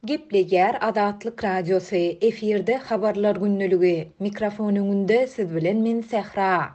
Gepleýär Azatlyk Radiosy, efirde Habarlar gündeligi, mikrofon öňünde siz bilen men Sähra.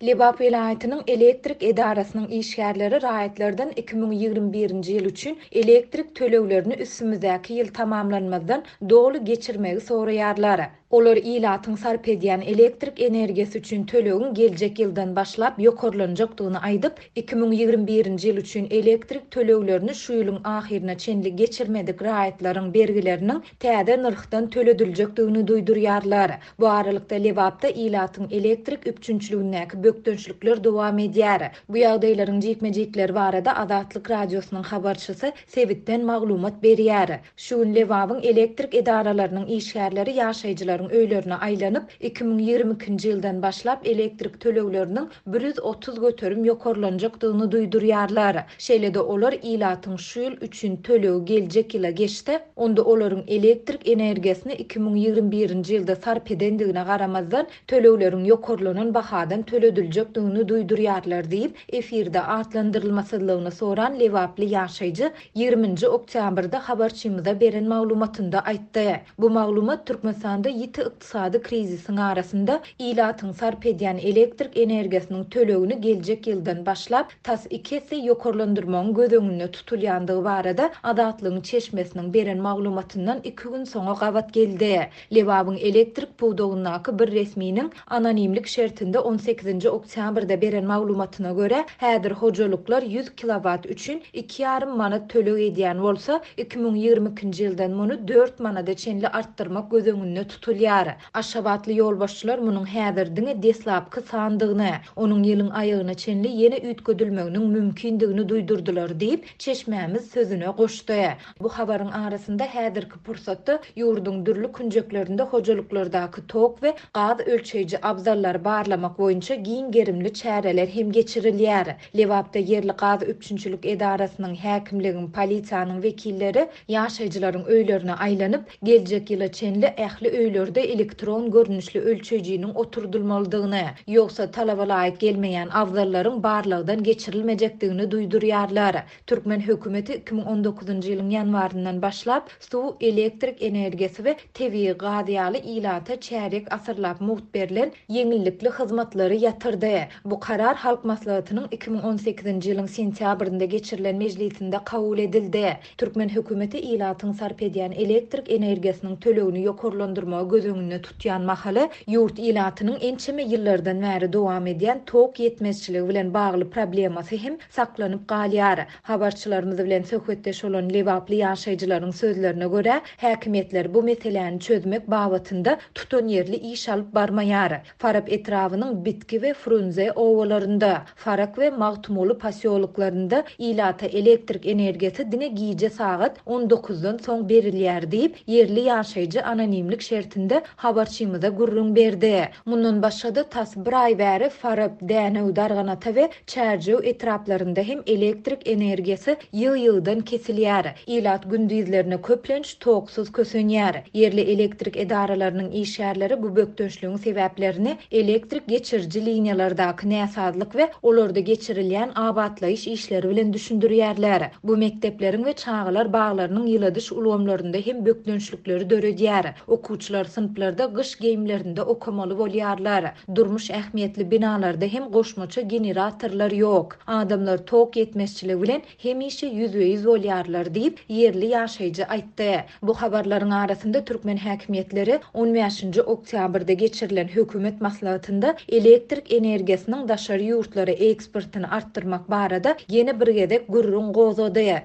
Lebap welaýatynyň elektrik edarasynyň işgärleri raýatlardan 2021-nji ýyl üçin elektrik töleglerini üstümizdäki ýyl tamamlanmazdan doly geçirmegi soraýarlar. Olar ilatyň sarp edýän elektrik energiýasy üçin tölegiň geljek ýyldan başlap ýokarlanjakdygyny aýdyp, 2021-nji ýyl üçin elektrik töleglerini şu ýylyň ahyryna çenli geçirmedik raýatlaryň bergileriniň täze nyrhdan tölediljekdigini duýdurýarlar. Bu aralykda, Lebapda ilatyň elektrik üpjünçiligindäki bökdençlikler dowam edýär. Bu ýagdaýlaryň jikme-jikleri barada Azatlyk Radiosynyň habarçysy sebitden maglumat berýär. Şu gün Lebabyň elektrik edaralarynyň işgärleri ýaşaýjylaryň öýlerine aýlanyp, 2022-nji ýyldan başlap elektrik tölegleriniň 130% ýokarlanjakdygyny duýdurýarlar. Şeýle-de olar ilatyň şu ýyl üçin tölegi geljek ýyla geçse, onda olaryň elektrik energiýasyny 2021-nji ýylda sarp edendigine garamazdan, tölegleriň ýokarlanan bahadan tölediljekdigini duýdurýarlar diýip, efirde atlandyrylmasyzlygyny soran lebaply ýaşaýjy ýigriminji oktýabrda habarçymyza beren maglumatynda aýtdy. Bu maglumat Türkmenistanda ýiti ykdysady krizisiň arasynda ilatyň sarp edýän elektrik energiýasynyň tölegini geljek ýyldan başlap tas iki esse ýokarlandyrmagyň göz öňünde tutulýandygy barada Azatlygyň çeşmesiniň beren maglumatyndan iki gün soňa gabat geldi. Lebabyň elektrik pudagyndaky bir resminiň anonimlik şertinde on sekizinji oktýabrda beren maglumatyna görä, häzir hojalyklar 100 kilowat üçin iki ýarym manat töleg edýän bolsa, 2022-nji ýyldan muny dört manada çenli artdyrmak göz öňünde tutulýar. Aşgabatly ýolbaşçylar munuň häzir diňe deslapky sandygyny, onuň ýylyň aýagyna çenli ýene üýtgedilmeginiň mümkindigini duýdurdylar diýip, çeşmämiz sözüne goşdy. Bu habaryň arasynda häzirki pursatda ýurduň dürli künjeklerinde hojalyklardaky tok we gaz ölçeýji abzallary barlamak boýunça giň gerimli çäreler hem geçirilýär. Lebapda ýerli gaz üpjünçilik edarasynyň, häkimligiň, polisiýanyň wekilleri ýaşaýjylaryň öýlerine aýlanyp, geljek ýyla çenli ähli öýlerde elektron görnüşli ölçeýjiniň oturdylmalydygyny, ýogsa talaba laýyk gelmeýän abzallaryň barlagdan geçirilmejekdigini duýdurýarlar. Türkmen hökümeti 2019-njy ýylyň ýanwaryndan başlap, suw, elektrik energiýasy we tebigy gaz ýaly ilata çärýek asyrlap mugt berlen ýeňillikli hyzmatlary ýatyrdy. Bu karar Halk Maslahatynyň 2018-nji ýylyň sentýabrynda geçirilen mejlisinde kabul edildi. Türkmen hökümeti ilatyň sarp edýän elektrik energiýasynyň tölegini ýokarlandyrmagy göz öňünde tutýan mahaly, ýurt ilatynyň ençeme ýyllardan bäri dowam edýän tok ýetmezçiligi bilen bagly problemasy hem saklanyp galýar. Habarçylarymyz bilen söhbetdeş bolan lebaply ýaşaýjylaryň sözlerine görä, häkimiýetler bu meseläni çözmek babatynda tutanýerli iş alyp barmaýar. Farap etrabynyň Bitki we Frunze obalarynda, Farak we Magtymguly posýoloklarynda ilata elektrik energiýasy diňe gije sagat on dokuzdan soň berilýär diýip, ýerli ýaşaýjy anonimlik şertinde habarçymyza gürrüň berdi. Mundan başga-da, tas bir aý bäri Farap, Dänew, Darganata we Çärjew etraplarynda hem elektrik energiýasy ýygy-ýygydan kesilýär. Ilat gündizlerine köplenç toksuz kösenýär. Ýerli elektrik edaralarynyň işgärleri bu bökdençligiň sebäplerini elektrik geçiriji liniýalardaky näsazlyk we olarda geçirilýän abatlaýyş işleri bilen düşündirýärler. Bu mekdepleriň we çagalar baglarynyň ýyladyş ulgamlarynda hem bökdençlikleri döredýär. Okuwçylar synplarda gyş geýimlerinde okamaly bolýarlar. Durmuş ähmiýetli binalarda hem goşmaça generatorlar ýok. Adamlar tok ýetmezçiligi bilen hemişe ýüzbe-ýüz bolýarlar diýip, ýerli ýaşaýjy aýtdy. Bu habarlaryň arasynda türkmen häkimiýetleri on bäşinji oktýabrda geçirilen hökümet maslahatynda elektrik energiýasynyň daşary ýurtlara eksportyny artdyrmak barada ýene bir gezek gürrüň gozgady.